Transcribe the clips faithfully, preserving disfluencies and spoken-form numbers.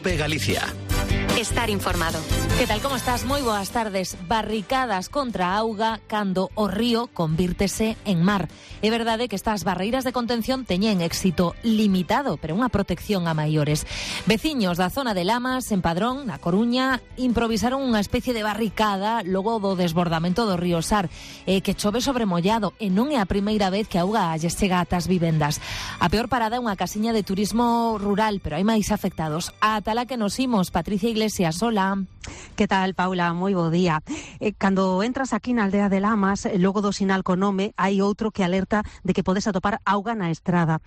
COPE Galicia. Estar informado. Que tal, como estás? Moi boas tardes. Barricadas contra a auga cando o río convírtese en mar. É verdade que estas barreiras de contención teñen éxito limitado, pero unha protección a maiores. Veciños da zona de Lamas, en Padrón, na Coruña, improvisaron unha especie de barricada logo do desbordamento do río Sar, eh, que chove sobre mollado, e non é a primeira vez que a auga lles chega ata as vivendas. A peor parada é unha casiña de turismo rural, pero hai máis afectados. Ata la que nos imos, Patricia Iglesias, hola. Que tal, Paula? Moi bo día. Eh, cando entras aquí na aldea de Lamas, logo do sinal co nome, hai outro que alerta de que podes atopar auga na estrada.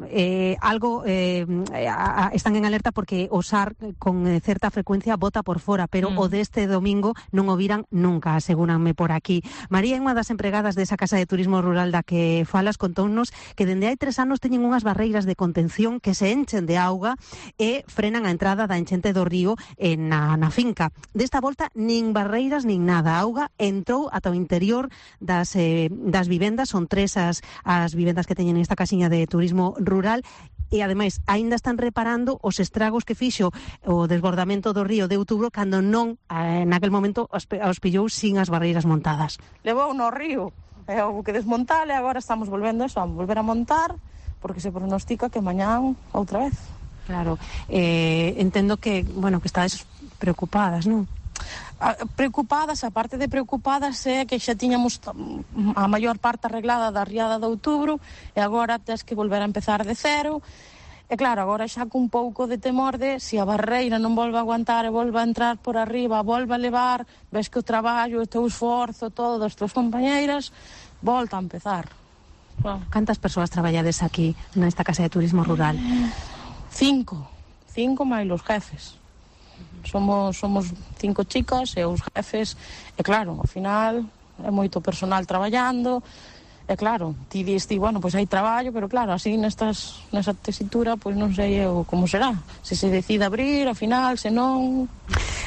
Eh, algo eh, a, a, están en alerta porque o Sar con eh, certa frecuencia bota por fora, pero mm. o deste domingo non o viran nunca, asegúranme por aquí. María é unha das empregadas desa casa de turismo rural da que falas, contounos que dende hai tres anos teñen unhas barreiras de contención que se enchen de auga e frenan a entrada da enchente do río eh, na, na finca. Desta volta nin barreiras nin nada, a auga entrou ata o interior das, eh, das vivendas, son tres as, as vivendas que teñen esta casiña de turismo rural, e ademais aínda están reparando os estragos que fixo o desbordamento do río de outubro cando non, eh, naquel momento os, os pillou sin as barreiras montadas. Levou no río, é o que desmontar, e agora estamos volvendo eso, a volver a montar, porque se pronostica que mañán outra vez. Claro, eh, entendo que, bueno, que estades preocupadas, non? Preocupadas, a parte de preocupadas é que xa tiñamos a maior parte arreglada da riada de outubro e agora tens que volver a empezar de cero. E claro, agora xa cun pouco de temor de se a barreira non volve a aguantar e volve a entrar por arriba, volve a levar, ves que o traballo, o teu esforzo, todo das tuas compañeiras volta a empezar. Wow. Cantas persoas traballades aquí nesta casa de turismo rural? Cinco, cinco máis os jefes. Somos somos cinco chicas e os jefes, e claro, ao final é moito personal traballando, e claro, ti diste, bueno, pois hai traballo, pero claro, así nestas, nesa tesitura, pois non sei eu como será, se se decide abrir, ao final, se non...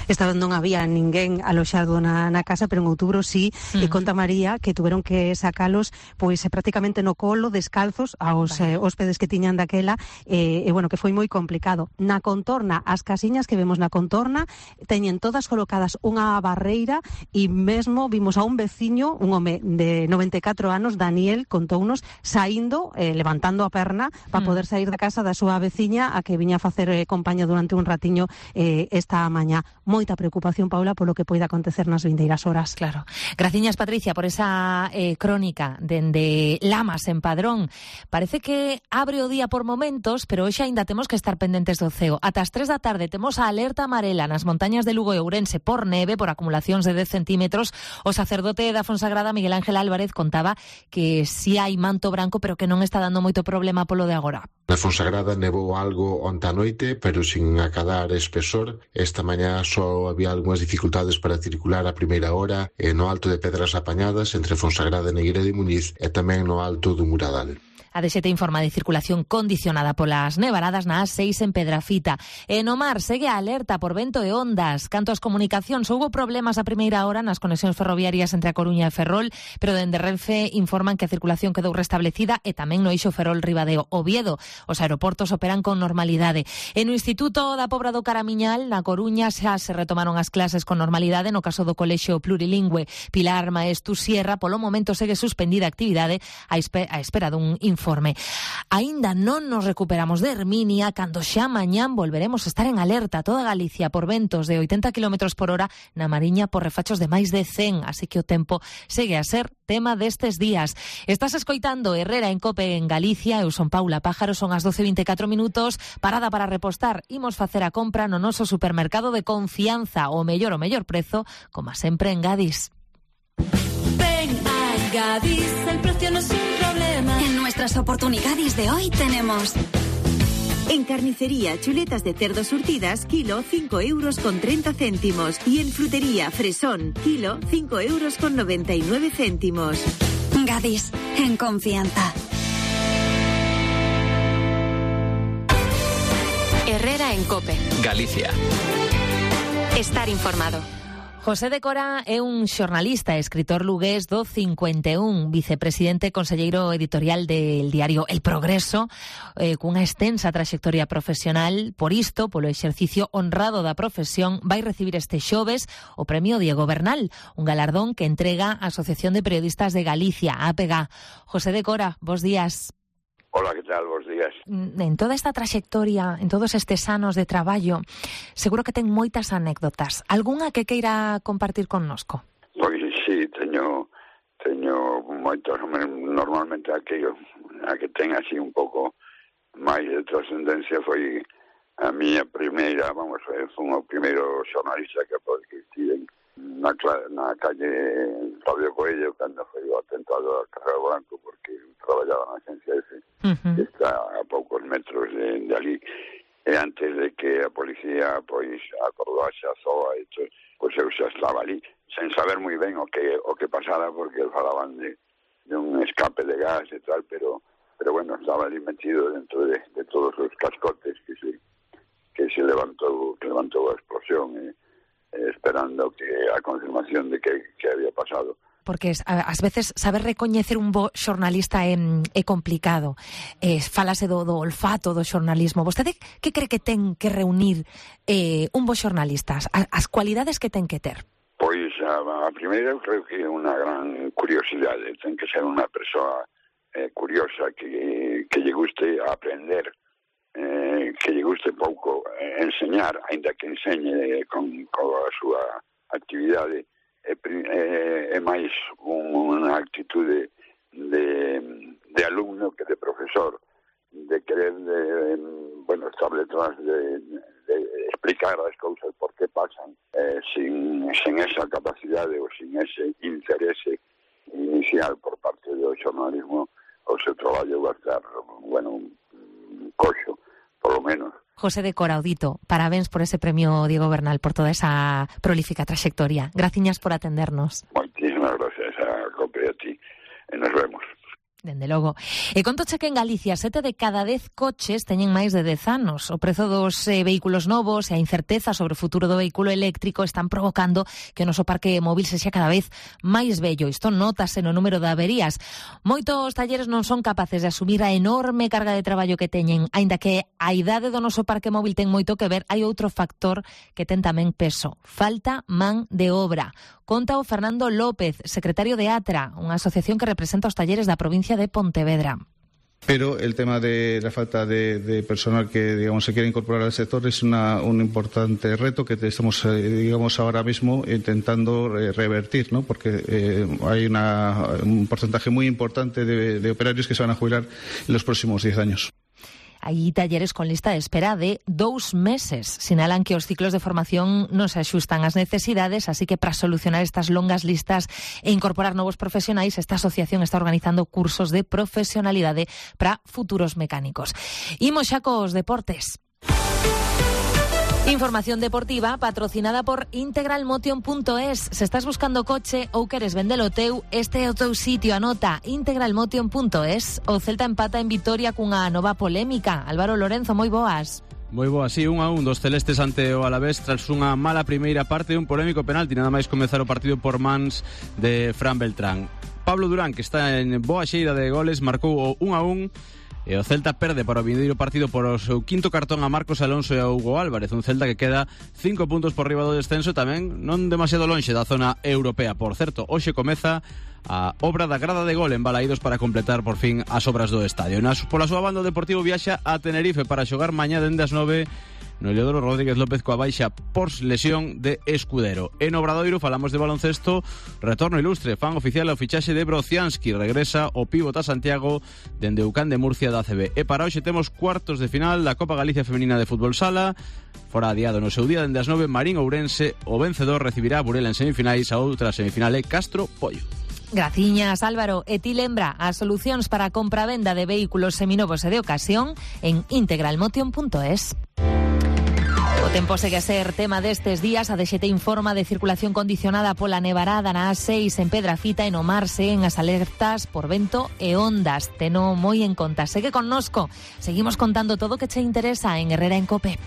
Esta vez non había ninguén aloxado na, na casa, pero en outubro sí, mm. e conta María que tuveron que sacalos pois prácticamente no colo, descalzos, aos eh, hóspedes que tiñan daquela, e, e bueno, que foi moi complicado. Na contorna, as casiñas que vemos na contorna, teñen todas colocadas unha barreira, e mesmo vimos a un veciño, un home de noventa e catro anos, Daniel, contounos, saindo, eh, levantando a perna, para mm. poder sair da casa da súa veciña, a que viña a facer eh, compañía durante un ratiño eh, esta mañá. Moita preocupación, Paula, polo que poida acontecer nas vindeiras horas. Claro. Graciñas, Patricia, por esa eh, crónica dende Lamas, en Padrón. Parece que abre o día por momentos, pero hoxe aínda temos que estar pendentes do ceo. Ata as tres da tarde temos a alerta amarela nas montañas de Lugo e Ourense por neve, por acumulacións de dez centímetros. O sacerdote da Fonsagrada, Miguel Ángel Álvarez, contaba que si hai manto branco, pero que non está dando moito problema polo de agora. Na Fonsagrada nevou algo onte a noite, pero sin acadar espesor. Esta mañá só había algunhas dificultades para circular a primeira hora e no Alto de Pedras Apañadas entre Fonsagrada e Negueira de Muñiz e tamén no Alto do Muradal. A D X T informa de circulación condicionada polas nevaradas na A seis en Pedrafita. E no mar segue a alerta por vento e ondas. Canto ás comunicacións, houbo problemas a primeira hora nas conexións ferroviarias entre a Coruña e Ferrol, pero dende Renfe informan que a circulación quedou restablecida e tamén no eixo Ferrol-Ribadeo. Oviedo, os aeroportos operan con normalidade. E no Instituto da Pobra do Caramiñal, na Coruña, xa se retomaron as clases con normalidade no caso do Colexio Plurilingüe Pilar Maestu Sierra. Polo momento segue suspendida a actividade a espera dun informe. Informe. Aínda non nos recuperamos de Herminia, cando xa mañán volveremos a estar en alerta toda Galicia por ventos de oitenta kilómetros por hora, na Mariña por refachos de máis de cen, así que o tempo segue a ser tema destes días. Estás escoitando Herrera en Cope en Galicia, eu son Paula Pájaro, son as doce e vinte e catro minutos, parada para repostar, imos facer a compra no noso supermercado de confianza, o mellor o mellor prezo, como sempre en Gadis. Ven a Gadis, el precio no es un problema. En nuestras oportunidades de hoy tenemos... En carnicería, chuletas de cerdo surtidas, kilo, cinco euros con treinta céntimos. Y en frutería, fresón, kilo, cinco euros con noventa y nueve céntimos. Gadis, en confianza. Herrera en Cope. Galicia. Estar informado. José de Cora é un xornalista e escritor lugués do cincuenta e un, vicepresidente e conselleiro editorial del diario El Progreso, eh, cunha extensa traxectoria profesional. Por isto, polo exercicio honrado da profesión, vai recibir este xoves o premio Diego Bernal, un galardón que entrega a Asociación de Periodistas de Galicia, A P G A. José de Cora, bos días. Hola, que tal? Bos días. En toda esta traxectoria, en todos estes anos de traballo, seguro que ten moitas anécdotas. Algúnha que queira compartir connosco? Pois sí, teño teño moitos, normalmente a que, a que ten así un pouco máis de trascendencia foi a miña primeira, vamos, foi o primeiro xornalista que que estive na, na calle Fabio Coelho cando foi o atentado a Carrero Branco, porque traballaba na agencia F, uh-huh. que está a poucos metros de, de ali, e antes de que a policía pois acordase a Z O A, pois eu xa estaba ali, sen saber moi ben o que o que pasara, porque falaban de, de un escape de gas e tal, pero pero bueno, estaba ali metido dentro de, de todos os cascotes que se que se levantou, que levantou a explosión, e, e esperando que a confirmación de que, que había pasado. Porque ás veces saber recoñecer un bo xornalista é, é complicado. Eh, falase do, do olfato do xornalismo. Vostede que cree que ten que reunir eh, un bo xornalista? As, as cualidades que ten que ter? Pois a, a primeira eu creo que é unha gran curiosidade. Ten que ser unha persoa eh, curiosa, que, que lle guste aprender, eh, que lle guste pouco eh, enseñar, aínda que enseñe con, con a súa actividade. É, é, é máis unha actitude de, de alumno que de profesor, de querer de, bueno, estar detrás de, de explicar as cousas por que pasan, eh, sin, sin esa capacidade ou sin ese interese inicial por parte do xornalismo, o seu traballo vai estar, bueno, coxo, polo menos. José de Cora, Audito, parabéns por ese premio Diego Bernal, por toda esa prolífica trayectoria. Graciñas por atendernos. Moitísimas gracias a Cope e a ti, e nos vemos. Dende logo. E contoche que en Galicia sete de cada dez coches teñen máis de dez anos. O prezo dos eh, vehículos novos e a incerteza sobre o futuro do vehículo eléctrico están provocando que o noso parque móvil sexa cada vez máis vello. Isto notase no número de averías. Moitos talleres non son capaces de asumir a enorme carga de traballo que teñen. Aínda que a idade do noso parque móvil ten moito que ver, hai outro factor que ten tamén peso. Falta man de obra. Conta o Fernando López, secretario de ATRA, unha asociación que representa os talleres da provincia de Pontevedra. Pero el tema de la falta de, de personal que, digamos, se quiere incorporar al sector es una, un importante reto que estamos, eh, digamos, ahora mismo intentando eh, revertir, ¿no? Porque eh, hay una, un porcentaje muy importante de, de operarios que se van a jubilar en los próximos diez años. Hai talleres con lista de espera de dous meses. Sinalan que os ciclos de formación non se axustan ás necesidades, así que para solucionar estas longas listas e incorporar novos profesionais, esta asociación está organizando cursos de profesionalidade para futuros mecánicos. Imos xa cos deportes. Información deportiva patrocinada por integralmotion punto es. Se estás buscando coche ou queres vendelo teu, este é o teu sitio. Anota integralmotion punto es. O Celta empata en Vitoria cunha nova polémica. Álvaro Lorenzo, moi boas. Moi boa, sí, un a un dos celestes ante o Alavés tras unha mala primeira parte e un polémico penalti, nada máis comezar o partido por mans de Fran Beltrán. Pablo Durán, que está en boa xeira de goles, marcou o un a un. E o Celta perde para o vindeiro partido por o seu quinto cartón a Marcos Alonso e a Hugo Álvarez, un Celta que queda cinco puntos por riba do descenso, tamén non demasiado lonxe da zona europea. Por certo, hoxe comeza a obra da grada de gol en Balaídos para completar por fin as obras do estadio. Nas, pola súa banda, o Deportivo viaxa a Tenerife para xogar mañá dende as nove no Heliodoro Rodríguez López coa baixa por lesión de Escudero. En Obradoiro falamos de baloncesto, retorno ilustre, fan oficial o fichaxe de Brocianski, regresa o pívot a Santiago dende Ucán de Murcia da A C B. E para hoxe temos cuartos de final da Copa Galicia Femenina de Fútbol Sala, fora adiado no seu día dende as nove Marín Ourense, o vencedor recibirá a Burela en semifinais, a outra semifinal é Castro Pollo. Graciñas, Álvaro. E ti lembra as solucións para a compra-venda de vehículos seminovos e de ocasión en integralmotion punto es. O tempo segue a ser tema destes días. A D X T informa de circulación condicionada pola nevarada na A seis en Pedrafita e no mar seguen as alertas por vento e ondas. Teno moi en conta. Segue connosco. Seguimos contando todo o que che interesa en Herrera en Cope.